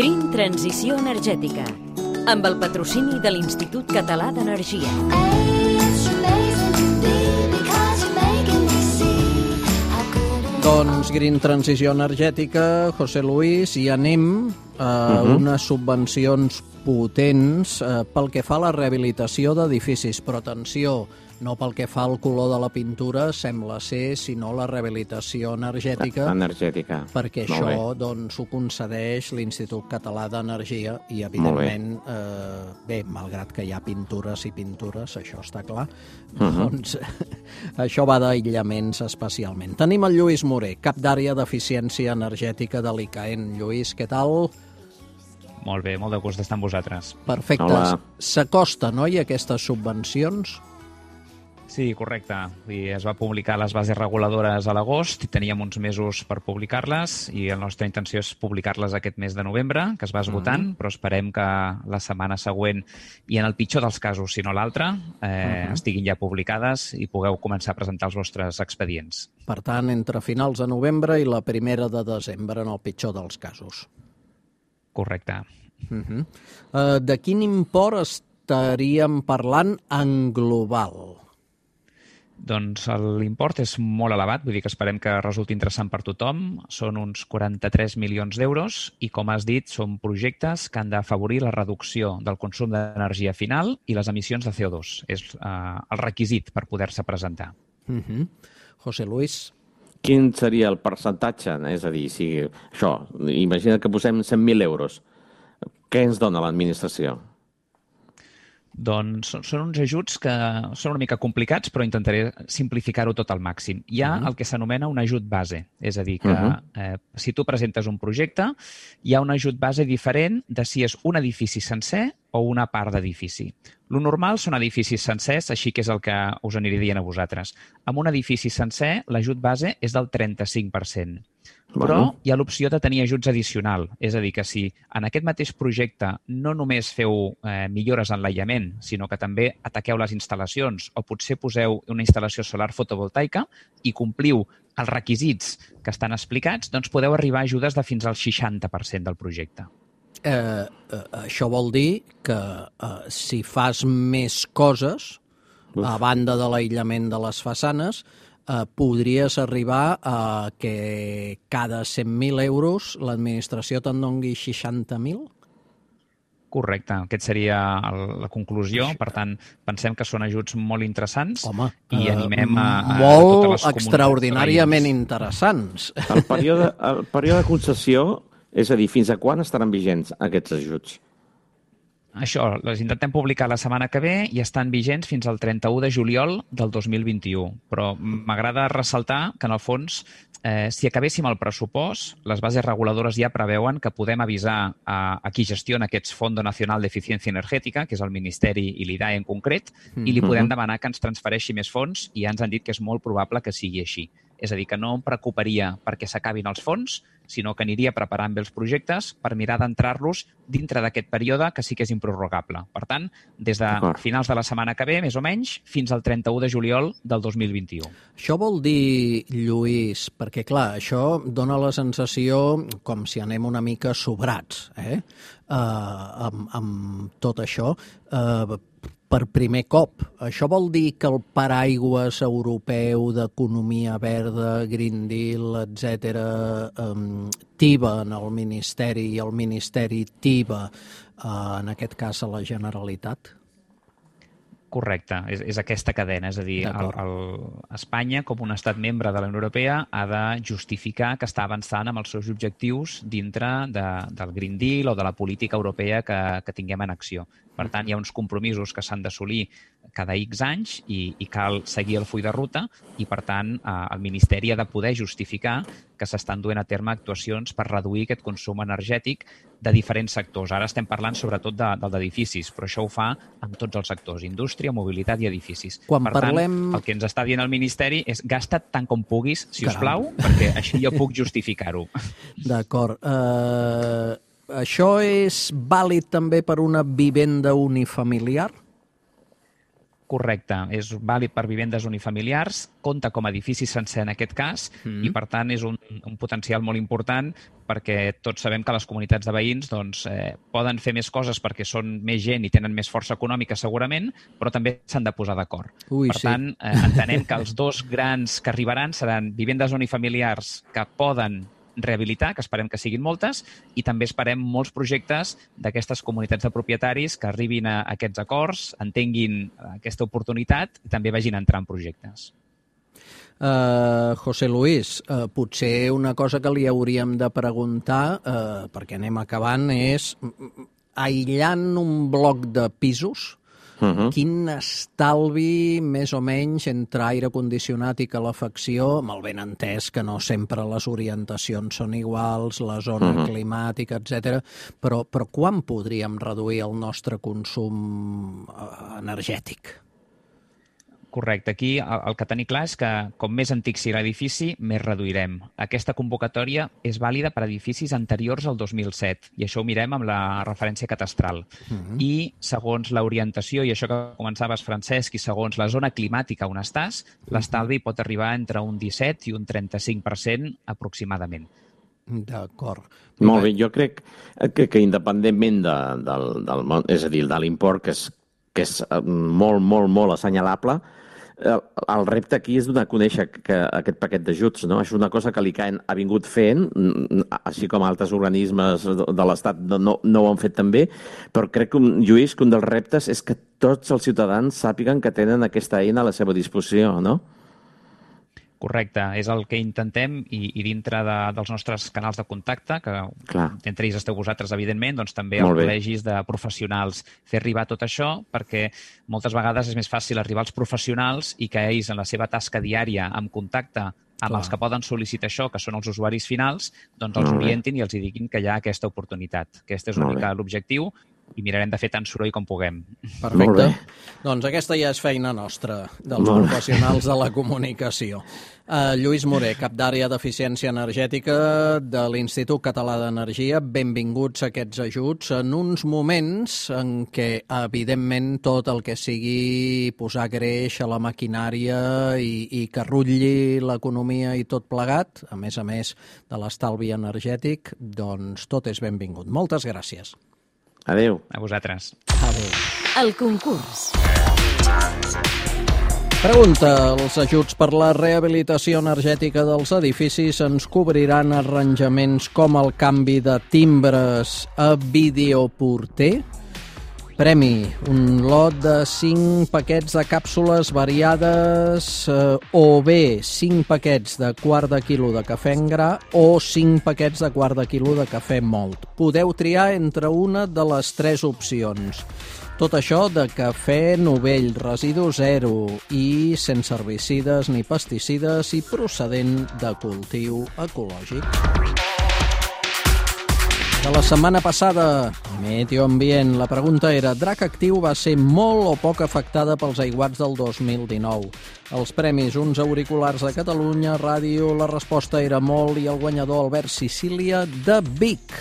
Green Transició Energètica, amb el patrocini de l'Institut Català d'Energia. Doncs Green Transició Energètica, José Luis, i anem a unes subvencions potents pel que fa a la rehabilitació d'edificis, però atenció, no pel que fa al color de la pintura, sembla ser, sinó la rehabilitació energètica. Perquè això doncs, ho concedeix l'Institut Català d'Energia i, evidentment, bé, malgrat que hi ha pintures i pintures, això està clar, doncs això va d'aïllaments especialment. Tenim el Lluís Moré, cap d'àrea d'eficiència energètica de l'ICAEN. Lluís, què tal? Molt bé, molt de gust d'estar amb vosaltres. Perfecte. S'acosta, no?, i aquestes subvencions? Sí, correcte. Es va publicar les bases reguladores a l'agost i teníem uns mesos per publicar-les i la nostra intenció és publicar-les aquest mes de novembre, que es va esgotant, però esperem que la setmana següent, i en el pitjor dels casos, si no l'altre, estiguin ja publicades i pugueu començar a presentar els vostres expedients. Per tant, entre finals de novembre i la primera de desembre, en el pitjor dels casos. Correcte. De quin import estaríem parlant en global? Doncs l'import és molt elevat, vull dir que esperem que resulti interessant per tothom. Són uns 43 milions d'euros i, com has dit, són projectes que han d'afavorir la reducció del consum d'energia final i les emissions de CO2. És el requisit per poder-se presentar. José Luis. Quin seria el percentatge? És a dir, si això, imagina que posem 100.000 euros. Què ens dona l'administració? Doncs són uns ajuts que són una mica complicats, però intentaré simplificar-ho tot al màxim. Hi ha el que s'anomena un ajut base, és a dir, que si tu presentes un projecte, hi ha un ajut base diferent de si és un edifici sencer o una part d'edifici. Lo normal són edificis sencers, així que és el que us aniré dient a vosaltres. Amb un edifici sencer, l'ajut base és del 35%. Però hi ha l'opció de tenir ajuts addicional. És a dir, que si en aquest mateix projecte no només feu millores en l'aïllament, sinó que també ataqueu les instal·lacions o potser poseu una instal·lació solar fotovoltaica i compliu els requisits que estan explicats, doncs podeu arribar a ajudes de fins al 60% del projecte. Això vol dir que si fas més coses, a banda de l'aïllament de les façanes, podries arribar a que cada 100.000 euros l'administració te'n doni 60.000? Correcte, aquesta seria la conclusió. Per tant, pensem que són ajuts molt interessants i animem a totes les comunitats. Molt extraordinàriament interessants. El període de concessió, és a dir, fins a quan estaran vigents aquests ajuts? Això, les intentem publicar la setmana que ve i estan vigents fins al 31 de juliol del 2021. Però m'agrada ressaltar que, en el fons, si acabéssim el pressupost, les bases reguladores ja preveuen que podem avisar a qui gestiona aquests Fondo Nacional d'Eficiència Energètica, que és el Ministeri i l'IDAE en concret, i li podem demanar que ens transfereixi més fons i ja ens han dit que és molt probable que sigui així. És a dir, que no em preocuparia perquè s'acabin els fons, sinó que aniria preparant bé els projectes per mirar d'entrar-los dintre d'aquest període que sí que és improrrogable. Per tant, des de finals de la setmana que ve, més o menys, fins al 31 de juliol del 2021. Això vol dir, Lluís, perquè clar, això dona la sensació com si anem una mica sobrats, amb tot això, per primer cop. Això vol dir que el paraigües europeu d'economia verda, Green Deal, etc., tiba en el Ministeri i el Ministeri tiba, en aquest cas, a la Generalitat? Correcte, és aquesta cadena, és a dir, Espanya, com un estat membre de la Unió Europea, ha de justificar que està avançant amb els seus objectius dintre del Green Deal o de la política europea que tinguem en acció. Per tant, hi ha uns compromisos que s'han d'assolir cada X anys i cal seguir el full de ruta i, per tant, el Ministeri ha de poder justificar que s'estan duent a terme actuacions per reduir aquest consum energètic de diferents sectors. Ara estem parlant sobretot del d'edificis, però això ho fa amb tots els sectors, indústria, mobilitat i edificis. Per tant, el que ens està dient el Ministeri és gasta't tant com puguis, si us plau, perquè així jo puc justificar-ho. D'acord. Això és vàlid també per una vivenda unifamiliar? Correcte, és vàlid per vivendes unifamiliars, compta com a edifici sencer en aquest cas i, per tant, és un potencial molt important perquè tots sabem que les comunitats de veïns poden fer més coses perquè són més gent i tenen més força econòmica segurament, però també s'han de posar d'acord. Per tant, entenem que els dos grans que arribaran seran vivendes unifamiliars que poden rehabilitar, que esperem que siguin moltes, i també esperem molts projectes d'aquestes comunitats de propietaris que arribin a aquests acords, entenguin aquesta oportunitat i també vagin entrant en projectes. José Luis, potser una cosa que li hauríem de preguntar, perquè anem acabant, és aïllant un bloc de pisos, quin estalvi més o menys entre aire condicionat i calefacció, amb el ben entès que no sempre les orientacions són iguals, la zona climàtica, etc. Però quan podríem reduir el nostre consum energètic? Correcte. Aquí el que tenim clar és que com més antic sigui l'edifici, més reduirem. Aquesta convocatòria és vàlida per a edificis anteriors al 2007 i això ho mirem amb la referència catastral. I segons l'orientació, i això que començaves, Francesc, i segons la zona climàtica on estàs, l'estalvi pot arribar entre un 17 i un 35% aproximadament. D'acord. Molt bé, jo crec que independentment és a dir, de l'import, que és molt assenyalable, el repte aquí és donar a conèixer aquest paquet d'ajuts, no? Això és una cosa que l'ICAEN ha vingut fent, així com altres organismes de l'Estat no ho han fet també, però crec, Lluís, que un dels reptes és que tots els ciutadans sàpiguen que tenen aquesta eina a la seva disposició, no? Correcte, és el que intentem i dintre dels nostres canals de contacte, que entre ells esteu vosaltres, evidentment, doncs també els col·legis de professionals, fer arribar tot això, perquè moltes vegades és més fàcil arribar als professionals i que ells, en la seva tasca diària, en contacte amb els que poden sol·licitar això, que són els usuaris finals, doncs els orientin i els diguin que hi ha aquesta oportunitat. Aquest és una mica l'objectiu i mirarem de fer tant soroll com puguem. Perfecte. Doncs aquesta ja és feina nostra, dels professionals de la comunicació. Lluís Moré, cap d'àrea d'eficiència energètica de l'Institut Català d'Energia, benvinguts a aquests ajuts en uns moments en què, evidentment, tot el que sigui posar greix a la maquinària i que rutlli l'economia i tot plegat, a més de l'estalvi energètic, doncs tot és benvingut. Moltes gràcies. Adéu. A vosaltres. Adéu. El concurs. Pregunta: els ajuts per la rehabilitació energètica dels edificis ens cobriran arranjaments com el canvi de timbres a videoporter? Premi: un lot de 5 paquets de càpsules variades o bé 5 paquets de quart de quilo de cafè en gra o 5 paquets de quart de quilo de cafè mòlt. Podeu triar entre una de les 3 opcions. Tot això de cafè novell, residu zero i sense herbicides ni pesticides i procedent de cultiu ecològic. De la setmana passada, Meteo Ambient, la pregunta era: Drac Actiu va ser molt o poc afectada pels aiguats del 2019? Els premis: uns auriculars de Catalunya Ràdio, la resposta era molt, i el guanyador Albert Sicília de Vic.